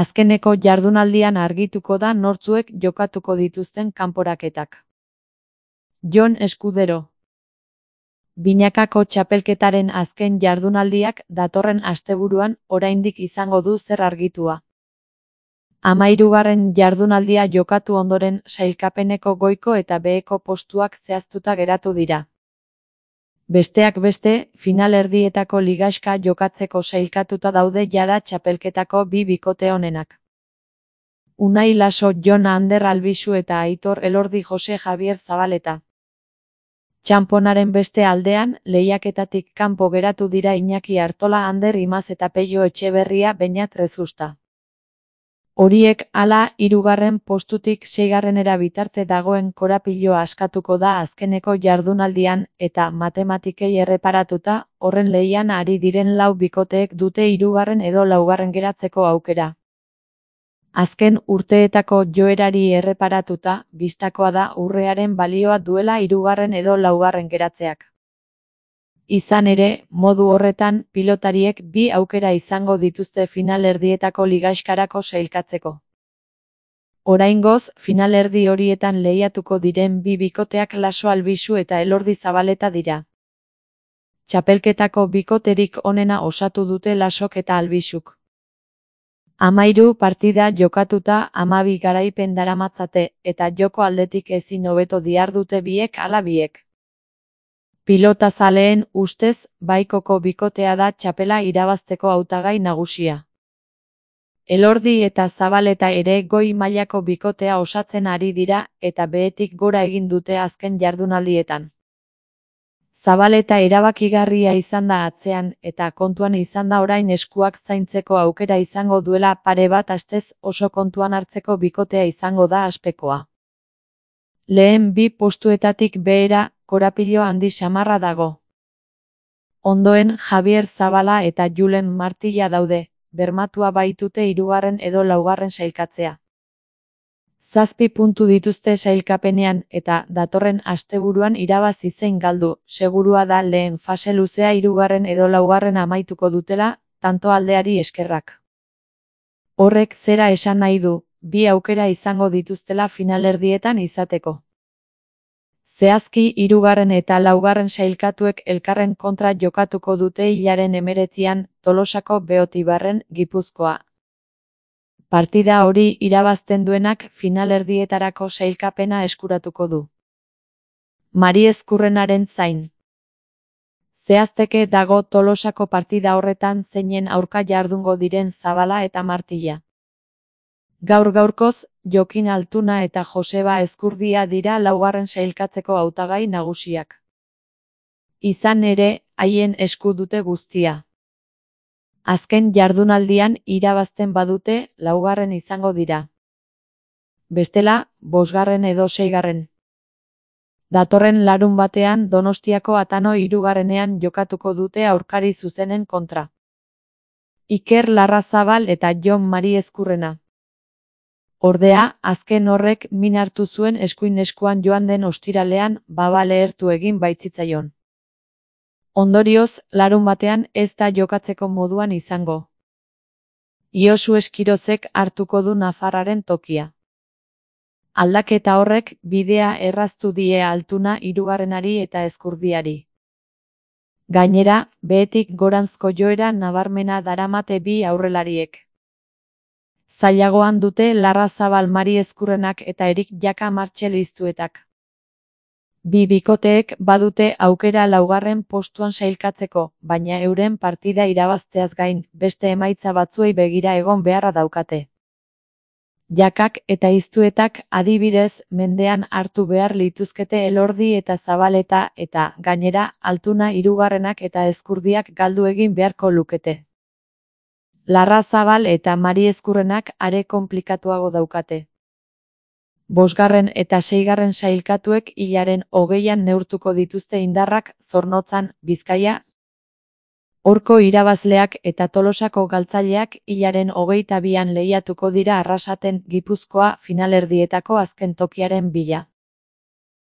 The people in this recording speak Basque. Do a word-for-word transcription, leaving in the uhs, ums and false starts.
Azkeneko jardunaldian argituko da nortzuek jokatuko dituzten kanporaketak. Jon Eskudero. Binakako txapelketaren azken jardunaldiak datorren asteburuan oraindik izango du zer argitua. Hamahirugarren jardunaldia jokatu ondoren sailkapeneko goiko eta beheko postuak zehaztuta geratu dira. Besteak beste, finalerdietako ligaxka jokatzeko sailkatuta daude jada txapelketako bi bikote onenak. Unai Laso, Jon Ander Albizu eta Aitor Elordi Jose Javier Zabaleta. Txanponaren beste aldean, lehiaketatik kanpo geratu dira Iñaki Artola, Ander Imaz eta Peio Etxeberria Beñat Rezusta. Horiek hala, hirugarren postutik seigarrenera bitarte dagoen korapiloa askatuko da azkeneko jardunaldian eta matematikei erreparatuta, horren lehian ari diren lau bikoteek dute hirugarren edo laugarren geratzeko aukera. Azken urteetako joerari erreparatuta, bistakoa da urrearen balioa duela hirugarren edo laugarren geratzeak. Izan ere, modu horretan, pilotariek bi aukera izango dituzte finalerdietako ligaxkarako sailkatzeko. Oraingoz, finalerdi horietan lehiatuko diren bi bikoteak Laso Albizu eta Elordi Zabaleta dira. Txapelketako bikoterik onena osatu dute Lasok eta Albizuk. Hamahiru partida jokatuta hamabi garaipen daramatzate eta joko aldetik ezin hobeto dihardute biek ala biek. Pilota zaleen ustez, baikoko bikotea da txapela irabazteko hautagai nagusia. Elordi eta Zabaleta ere goi mailako bikotea osatzen ari dira eta behetik gora egin dute azken jardunaldietan. Zabaleta erabakigarria izan da atzean eta kontuan izan da orain eskuak zaintzeko aukera izango duela pare bat astez oso kontuan hartzeko bikotea izango da aspekoa. Lehen bi postuetatik behera, korapilo handi samarra dago. Ondoen Javier Zabala eta Julen Martilla daude, bermatua baitute hirugarren edo laugarren sailkatzea. Zazpi puntu dituzte sailkapenean eta datorren asteburuan irabazi zein galdu, segurua da lehen fase luzea hirugarren edo laugarren amaituko dutela, tanto aldeari eskerrak. Horrek zera esan nahi du, bi aukera izango dituztela finalerdietan izateko. Zehazki hirugarren eta laugarren sailkatuek elkarren kontra jokatuko dute hilaren hemeretzian Tolosako Beotibarren, Gipuzkoa. Partida hori irabazten duenak finalerdietarako sailkapena eskuratuko du. Mari Ezkurrenaren zain. Zehazteke dago Tolosako partida horretan zeinen aurka jardungo diren Zabala eta Martilla. Gaur gaurkoz, Jokin Altuna eta Joseba Ezkurdia dira laugarren sailkatzeko hautagai nagusiak. Izan ere, haien esku dute guztia. Azken jardunaldian irabazten badute, laugarren izango dira. Bestela, bosgarren edo seigarren. Datorren larun batean Donostiako Atano hirugarrenean jokatuko dute aurkari zuzenen kontra. Iker Larrazabal eta Jon Mari Ezkurrena. Ordea, azken horrek min hartu zuen eskuin eskuan joan den ostiralean baba lehertu egin baitzitzaion. Ondorioz, larun batean ez da jokatzeko moduan izango. Josu Eskirozek hartuko du nafarraren tokia. Aldaketa horrek bidea erraztu die Altuna hirugarrenari eta Ezkurdiari. Gainera, behetik goranzko joera nabarmena daramate bi aurrelariek. Zailagoan dute Larrazabal Mari Ezkurrenak eta Erik Jaka Martxel iztuetak. Bi bikoteek badute aukera laugarren postuan sailkatzeko, baina euren partida irabazteaz gain, beste emaitza batzuei begira egon beharra daukate. Jakak eta iztuetak adibidez mendean hartu behar lituzkete Elordi eta Zabaleta eta, gainera, Altuna hirugarrenak eta Ezkurdiak galdu egin beharko lukete. Larrazabal eta Mari Ezkurrenak are konplikatuago daukate. Bosgarren eta seigarren sailkatuek hilaren hogeian neurtuko dituzte indarrak Zornotzan, Bizkaia. Horko irabazleak eta Tolosako galtzaileak hilaren hogeita bian lehiatuko dira Arrasaten, Gipuzkoa finalerdietako azken tokiaren bila.